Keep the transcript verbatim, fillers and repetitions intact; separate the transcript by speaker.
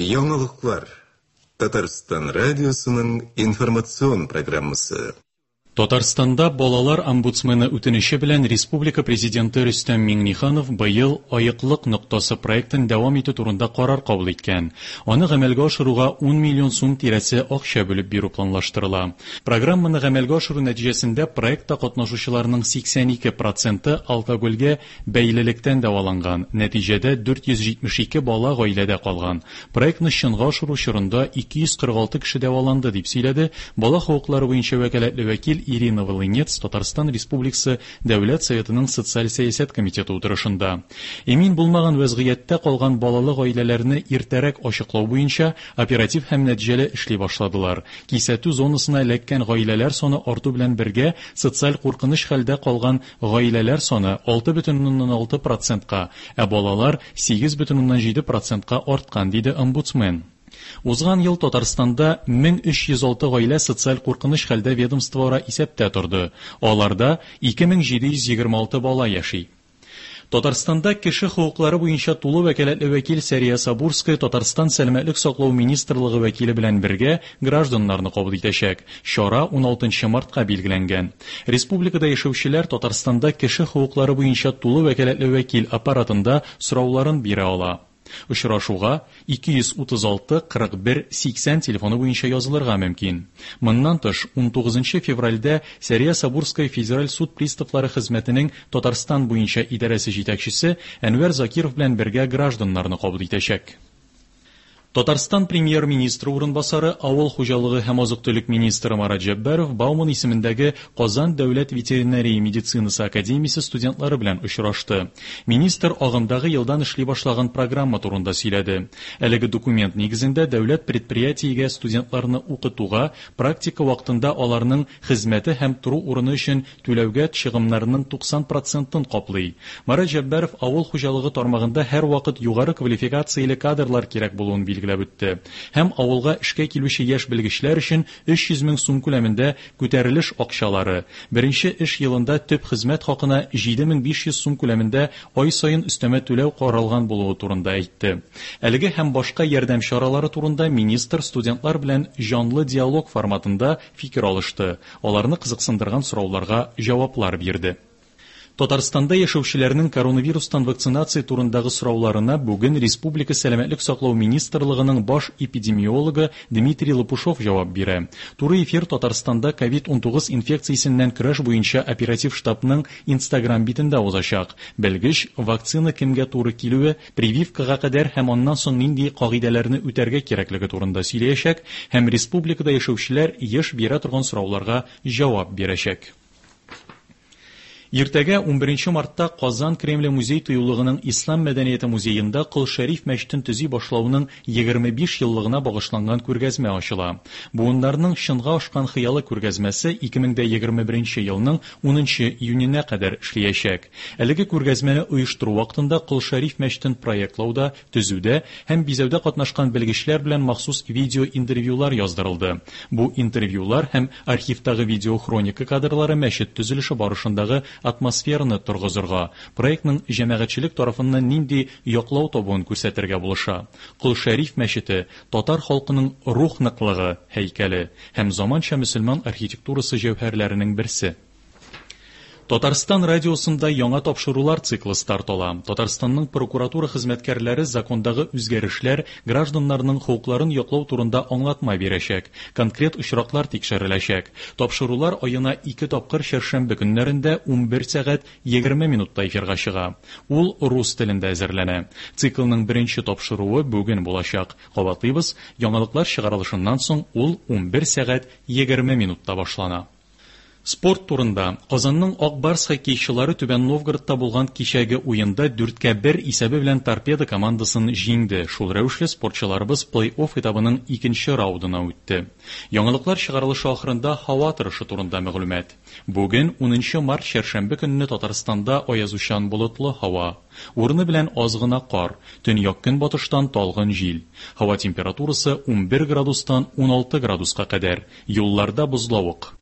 Speaker 1: Яңалыклар. Татарстан радиосының информацион программасы.
Speaker 2: Татарстанда балалар омбудсмены үтенече белән республика президенты Рөстәм Миңнеханов быел Аеклык ноктасы проектын дәвам итү турында карар кабул иткән. Аны гамәлгә ашыруга ун миллион сум тирәсе акча бүлеп бирү планлаштырыла. Программаны гамәлгә ашыру нәтиҗәсендә проектта катнашучыларның сиксән ике проценты алкогольгә бәйлелектән дәваланган. Нәтиҗәдә дүрт йөз җитмеш ике бала гаиләдә калган. Проектны чынга ашыру чорында ике йөз кырык алты кеше дәваланды, дип сөйләде бала хокуклары буенча вәкаләтле вәкил Ирина Волынец Татарстан Республикасы Дәүләт Советының Социаль сәясәт комитеты утырышында. Эмин булмаган вәзгыятьтә калган балалы гаиләләрне иртәрәк ачыклау буенча оператив һәм нәтиҗәле эшли башладылар. Кисәтү зонасына эләккән гаиләләр саны арту белән бергә социаль куркыныч хәлдә калган гаиләләр саны алты бөтен уннан алты процентка, ә балалар сигез бөтен уннан җиде процентка арткан, диде омбудсмен. Узган ел Татарстанда мең өч йөз алты гаилә социаль куркыныч хәлдә ведомствоара исәптә торды. Аларда ике мең җиде йөз егерме алты бала яши. Татарстанда кеше хокуклары буенча тулы вәкаләтле вәкил Сәрия Сабурская Татарстан Сәламәтлек саклау министрлыгы вәкиле белән бергә гражданнарны кабул итәчәк. Чара ун алтынчы мартка билгеләнгән. Республикада яшәүчеләр Татарстанда кеше хокуклары буенча тулы вәкаләтле вәкил аппаратында сорауларын бирә ала. Очрашуга ике йөз утыз алты кырык бер сиксән телефоны буенча язылырга мөмкин. Моннан тыш, ун тугызынчы февральдә Сәрия Сабурская Федераль суд приставлары хезмәтенең Татарстан буенча идарәсе җитәкчесе Әнвәр Закиров белән бергә гражданнарны кабул итәчәк. Татарстан премьер-министры урынбасары, авыл хуҗалыгы һәм азык-төлек министры Марат Җәббаров Бауман исемендәге Казан дәүләт ветеринария медицинасы академиясе студентлары белән очрашты. Министр агымдагы елдан эшли башлаган программа турында сөйләде. Әлеге документ нигезендә дәүләт предприятиегә студентларны укытуга, практика вакытында аларның хезмәте һәм тору урыны өчен түләүгә чыгымнарының туксан процентын каплый. Марат Җәббаров авыл хуҗалыгы тармагында һәрвакыт югары квалификацияле кадрлар кирәк булуын билгеләде. Билгеләп үтте. Һәм авылга эшкә килүче яшь белгечләр өчен өч йөз мең сум күләмендә күтәрелеш акчалары, беренче эш елында төп хезмәт хакына җиде мең биш йөз сум күләмендә ай саен өстәмә түләү каралган булуы турында әйтте. Әлеге һәм башка ярдәм чаралары турында министр студентлар белән җанлы диалог форматында фикер алышты. Аларны кызыксындырган сорауларга җаваплар бирде. Татарстанда яшәүчеләрнең коронавирустан вакцинация турындагы сорауларына бүген Республика Сәламәтлек саклау министрлыгының баш эпидемиологы Дмитрий Лопушов җавап бирә. Туры эфир Татарстанда ковид унтугыз инфекциясеннән көрәш буенча оператив штабның Инстаграм битендә узачак. Белгеч вакцина кемгә туры килүе, прививкага кадәр һәм аннан соң нинди кагыйдәләрне үтәргә кирәклеге турында сөйләячәк һәм республикада яшәүчеләр еш бирә торган сорауларга җавап бирәчәк. Иртәгә унберенче мартта Казан Кремле музей тыюлыгының Ислам мәдәнияте музеенда Кол Шәриф мәчетен төзи башлауның егерме биш еллыгына багышланган күргәзмә ачыла. Буыннарның чынга ашкан хыялы күргәзмәсе ике мең дә егерме беренче елның унынчы июненә кадәр эшләячәк. Әлеге күргәзмәне оештыру вакытында Кол Шәриф мәчетен проектлауда, төзүдә һәм бизәүдә катнашкан белгечләр белән махсус видеоинтервьюлар яздырылды. Бу интервьюлар һәм архивтагы видеохроника кадрлары мәчет төзелеше барышындагы атмосфераны торгызырга, проектның җәмәгатьчелек тарафыннан нинди яклау табуын күрсәтергә булыша. Кол Шәриф мәчете татар халкының рух ныклыгы һәйкәле һәм заманча мөселман архитектурасы җәүһәрләренең берсе. Татарстан радиосында яңа тапшырулар циклы старт ала. Татарстанның прокуратура хезмәткәрләре закондагы үзгәрешләр гражданнарның хокукларын яклау турында аңлатма бирәчәк. Конкрет очраклар тикшереләчәк. Тапшырулар аена ике тапкыр чәршәмбе көннәрендә унбер сәгать егерме минутта эфирга чыга. Ул рус телендә әзерләнә. Циклның беренче тапшыруы бүген булачак. Кабатлыйбыз, яңалыклар чыгарылышыннан соң ул унбер сәгать егерме минутта башлана. Спорт турында. Казанның Ак Барс хоккейчылары Түбән Новгородта булган кичәге уенда дүрткә бер исәбе белән Торпедо командасын җиңде. Шул рәвешле спортчыларыбыз плей-офф этабының икенче раундына үтте. Яңалыклар чыгарылышы ахырында һава торышы турында мәгълүмат. Бүген унынчы март чәршәмбе көнне Татарстанда аязучан болытлы һава. Урыны белән аз гына кар, төньяк көнбатыштан талгын җил. Һава температурасы унбер градустан уналты градуска кадәр. Юлларда бозлавык.